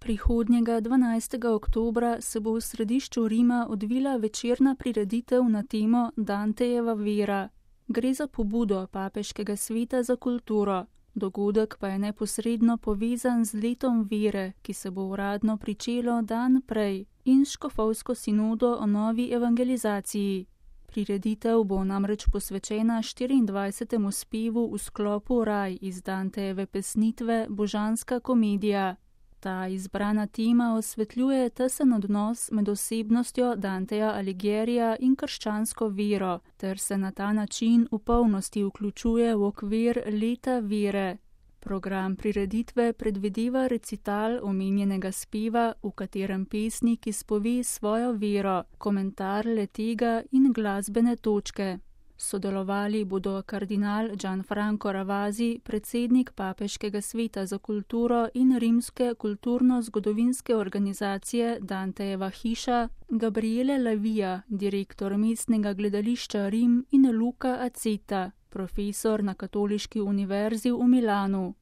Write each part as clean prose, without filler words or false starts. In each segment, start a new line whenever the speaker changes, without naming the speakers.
Prihodnjega 12. oktobra se bo v središču Rima odvila večerna prireditev na temo Dantejeva vera. Gre za pobudo Papeškega sveta za kulturo. Dogodek pa je neposredno povezan z letom vere, ki se bo uradno pričelo dan prej, in škofovsko sinodo o novi evangelizaciji. Prireditev bo namreč posvečena 24. spevu v sklopu Raj iz Dantejeve pesnitve Božanska komedija. Ta izbrana tema osvetljuje tesen odnos med osebnostjo Danteja Alighiera in krščansko vero, ter se na ta način v polnosti vključuje v okvir leta vere. Program prireditve predvideva recital omenjenega speva, v katerem pesnik izpove svojo vero, komentar le-tega in glasbene točke. Sodelovali bodo kardinal Gianfranco Ravasi, predsednik Papeškega sveta za kulturo in rimske kulturno-zgodovinske organizacije Dantejeva hiša, Gabriele Lavija, direktor mestnega gledališča Rim, in Luca Aceta, profesor na Katoliški univerzi v Milanu.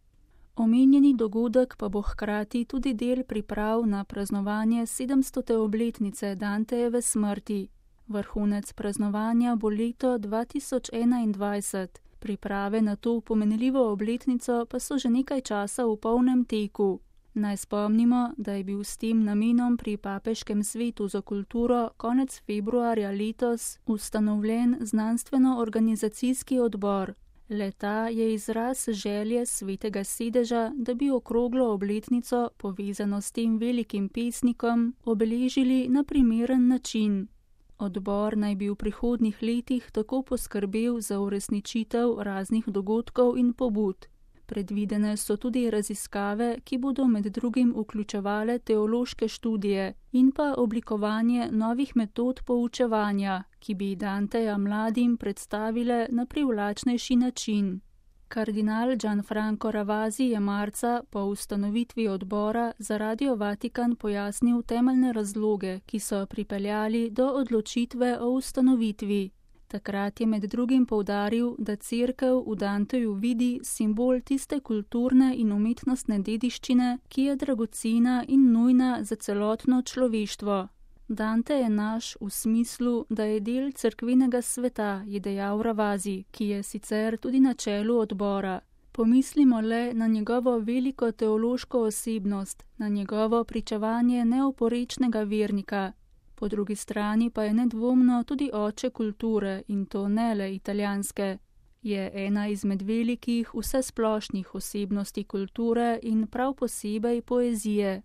Omenjeni dogodek pa bo hkrati tudi del priprav na praznovanje 700. obletnice Dantejeve smrti. Vrhunec praznovanja bo leto 2021, priprave na to pomenljivo obletnico pa so že nekaj časa v polnem teku. Naj spomnimo, da je bil s tem namenom pri Papeškem svetu za kulturo konec februarja letos ustanovljen znanstveno-organizacijski odbor. Le-ta je izraz želje svetega sedeža, da bi okroglo obletnico, povezano s tem velikim pesnikom, obeležili na primeren način. Odbor naj bi v prihodnjih letih tako poskrbel za uresničitev raznih dogodkov in pobud. Predvidene so tudi raziskave, ki bodo med drugim vključevale teološke študije in pa oblikovanje novih metod poučevanja, ki bi Danteja mladim predstavile na privlačnejši način. Kardinal Gianfranco Ravasi je marca po ustanovitvi odbora za Radio Vatikan pojasnil temeljne razloge, ki so pripeljali do odločitve o ustanovitvi. Takrat je med drugim poudaril, da Cerkev v Danteju vidi simbol tiste kulturne in umetnostne dediščine, ki je dragocena in nujna za celotno človeštvo. Dante je naš v smislu, da je del cerkvenega sveta, je dejal Ravasi, ki je sicer tudi na čelu odbora. Pomislimo le na njegovo veliko teološko osebnost, na njegovo pričevanje neoporečnega vernika. Po drugi strani pa je nedvomno tudi oče kulture, in to ne le italijanske. Je ena izmed velikih vsesplošnih osebnosti kulture in prav posebej poezije.